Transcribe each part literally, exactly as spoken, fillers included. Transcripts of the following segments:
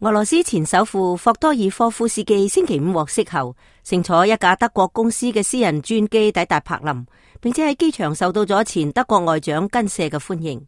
俄羅斯前首富霍多爾科夫斯基星期五獲釋後，乘坐一架德國公司嘅私人專機抵達柏林，並且喺機場受到咗前德國外長根舍嘅歡迎。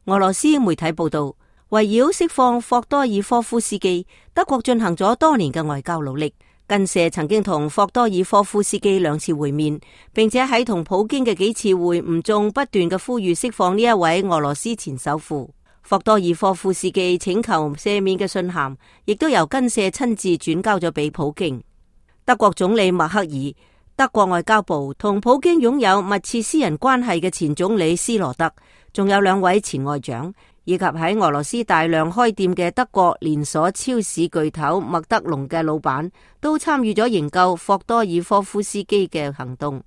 俄羅斯媒體報道，圍繞釋放霍多爾科夫斯基，德國進行咗多年嘅外交努力。根舍曾經同霍多爾科夫斯基兩次會面，並且喺同普京嘅幾次會晤中不斷嘅呼籲釋放呢一位俄羅斯前首富。霍多爾科夫斯基請求赦免嘅信函，亦都由根舍親自轉交咗俾普京。德國總理默克爾、德國外交部同普京擁有密切私人關係嘅前總理斯羅德，仲有兩位前外長，以及喺俄羅斯大量開店嘅德國連鎖超市巨頭麥德龍嘅老闆，都參與咗營救霍多爾科夫斯基嘅行動。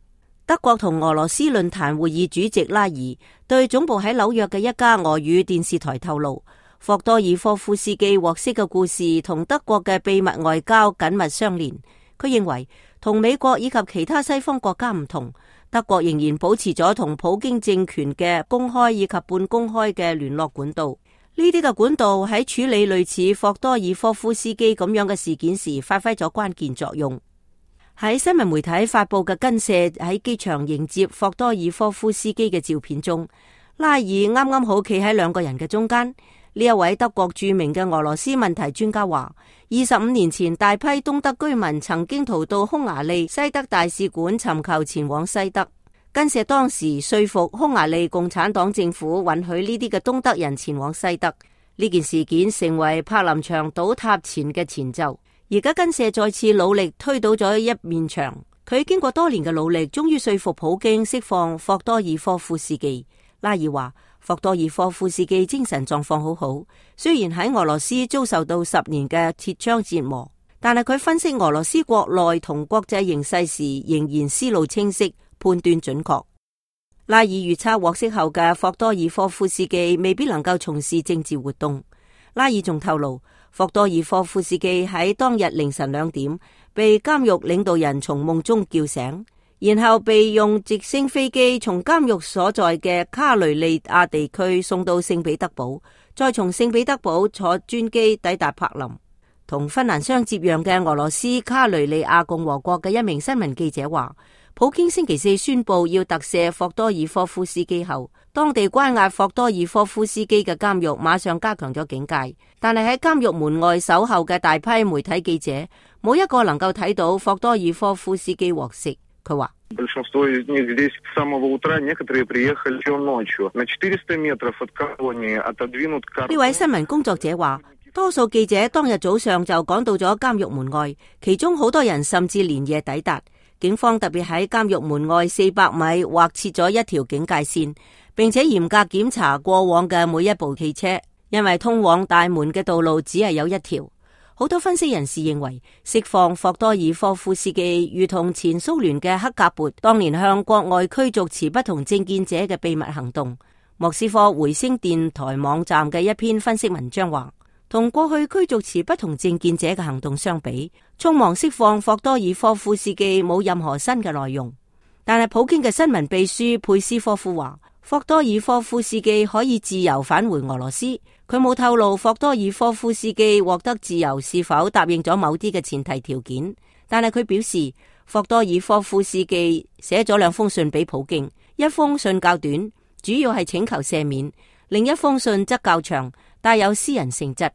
德國同俄羅斯論壇會議主席拉爾對總部喺紐約嘅一家俄語電視台透露，霍多爾科夫斯基獲釋嘅故事同德國嘅秘密外交緊密相連。佢認為同美國以及其他西方國家唔同，德國仍然保持咗同普京政權嘅公開以及半公開嘅聯絡管道。呢啲嘅管道喺處理類似霍多爾科夫斯基咁樣嘅事件時發揮咗關鍵作用。喺新聞媒體發佈嘅根舍喺機場迎接霍多爾科夫斯基嘅照片中，拉爾啱啱好企喺兩個人嘅中間。呢一位德國著名嘅俄羅斯問題專家話，二十五年前大批東德居民曾經逃到匈牙利西德大使館尋求前往西德。根舍當時說服匈牙利共產黨政府允許呢啲嘅東德人前往西德。呢件事件成為柏林牆倒塌前嘅前奏。而家根舍再次努力推倒咗一面牆，佢經過多年嘅努力，終於說服普京釋放霍多爾科夫斯基。拉爾話，霍多爾科夫斯基精神狀況好好，雖然喺俄羅斯遭受到十年嘅鐵槍折磨，但係佢分析俄羅斯國內同國際形勢時仍然思路清晰，判斷準確。拉爾預測獲釋後嘅霍多爾科夫斯基未必能夠從事政治活動。拉爾仲透露，霍多爾科夫斯基喺當日凌晨兩點被監獄領導人從夢中叫醒，然後被用直升飛機從監獄所在嘅卡雷利亞地區送到聖彼得堡，再從聖彼得堡坐專機抵達柏林。同芬蘭相接壤嘅俄羅斯卡雷利亞共和國嘅一名新聞記者話，普京星期四宣布要特赦霍多爾科夫斯基後，當地關押霍多爾科夫斯基嘅監獄馬上加強咗警戒，但係喺監獄門外守候嘅大批媒體記者，冇一個能夠睇到霍多爾科夫斯基獲釋。佢話：呢位新聞工作者話，多數記者當日早上就趕到咗監獄門外，其中好多人甚至連夜抵達。警方特別喺監獄門外四百米劃設咗一條警戒線，並且嚴格檢查過往嘅每一部汽車，因為通往大門嘅道路只係有一條。好多分析人士認為，釋放霍多爾科夫斯基如同前蘇聯嘅克格勃當年向國外驅逐持不同政見者嘅秘密行動。莫斯科回聲電台網站嘅一篇分析文章話，同過去驅逐持不同政見者嘅行動相比，匆忙釋放霍多爾科夫斯基冇任何新嘅內容。但係普京嘅新聞秘書佩斯科夫話，霍多爾科夫斯基可以自由返回俄羅斯。佢冇透露霍多爾科夫斯基獲得自由是否答應咗某啲嘅前提條件，但係佢表示霍多爾科夫斯基寫咗兩封信俾普京，一封信較短，主要係請求赦免；另一封信則較長，帶有私人性質。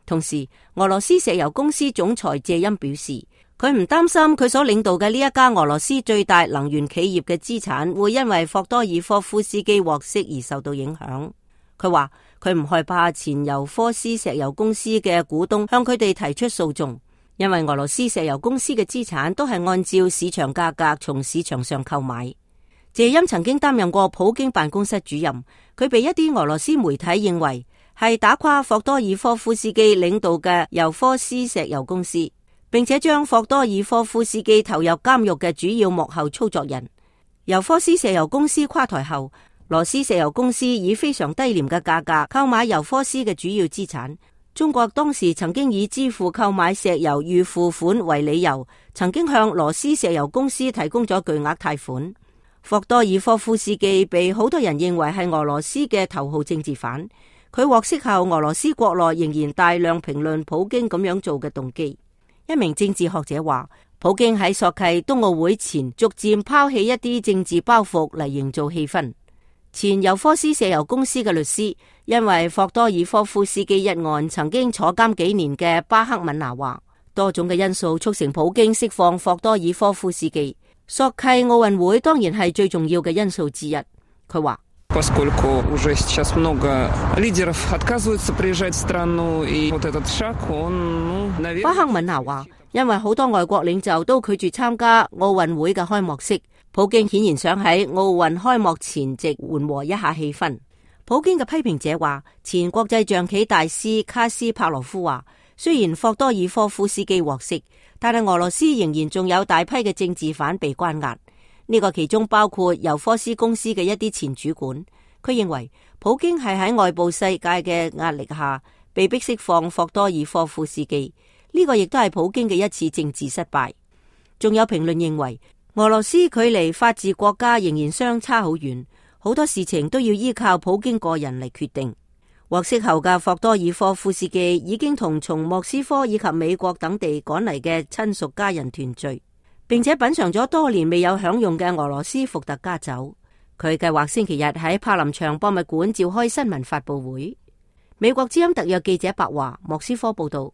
同時，俄羅斯石油公司總裁謝欽表示，佢唔擔心佢所領導嘅呢一家俄羅斯最大能源企業嘅資產會因為霍多爾科夫斯基獲釋而受到影響。佢話佢唔害怕前尤科斯石油公司嘅股東向佢哋提出訴訟，因為俄羅斯石油公司嘅資產都係按照市場價格從市場上購買。謝欽曾經擔任過普京辦公室主任，佢被一啲俄羅斯媒體認為係打垮霍多爾科夫斯基領導嘅尤科斯石油公司，並且將霍多爾科夫斯基投入監獄嘅主要幕後操作人。尤科斯石油公司垮台後，羅斯石油公司以非常低廉嘅價格購買尤科斯嘅主要資產。中國當時曾經以支付購買石油預付款為理由，曾經向羅斯石油公司提供咗巨額貸款。霍多爾科夫斯基被好多人認為係俄羅斯嘅頭號政治犯，佢獲釋後，俄羅斯國內仍然大量評論普京咁樣做嘅動機。一名政治學者話，普京喺索契冬奧會前逐漸拋棄一啲政治包袱嚟營造氣氛。前尤科斯石油公司嘅律師，因為霍多爾科夫斯基一案曾經坐監幾年嘅巴克敏娜話，多種嘅因素促成普京釋放霍多爾科夫斯基。索契奧運會當然係最重要嘅因素之一。佢話，巴克敏娜話，因為好多外國領袖都拒絕參加奧運會嘅開幕式，普京顯然想喺奧運開幕前夕緩和一下氣氛。普京嘅批評者話，前國際象棋大師卡斯帕羅夫話，雖然霍多爾科夫斯基獲釋，但係俄羅斯仍然仲有大批嘅政治犯被關押。呢個其中包括尤科斯公司嘅一啲前主管。佢認為普京係喺外部世界嘅壓力下被迫釋放霍多爾科夫斯基，呢個亦都係普京嘅一次政治失敗。仲有評論認為，俄羅斯距離法治國家仍然相差好遠，好多事情都要依靠普京個人嚟決定。獲釋後嘅霍多爾科夫斯基已經同從莫斯科以及美國等地趕嚟嘅親屬家人團聚，並且品嘗咗多年未有享用嘅俄羅斯伏特加酒。佢計劃星期日喺柏林場博物館召開新聞發佈會。美國之音特約記者白華，莫斯科報道。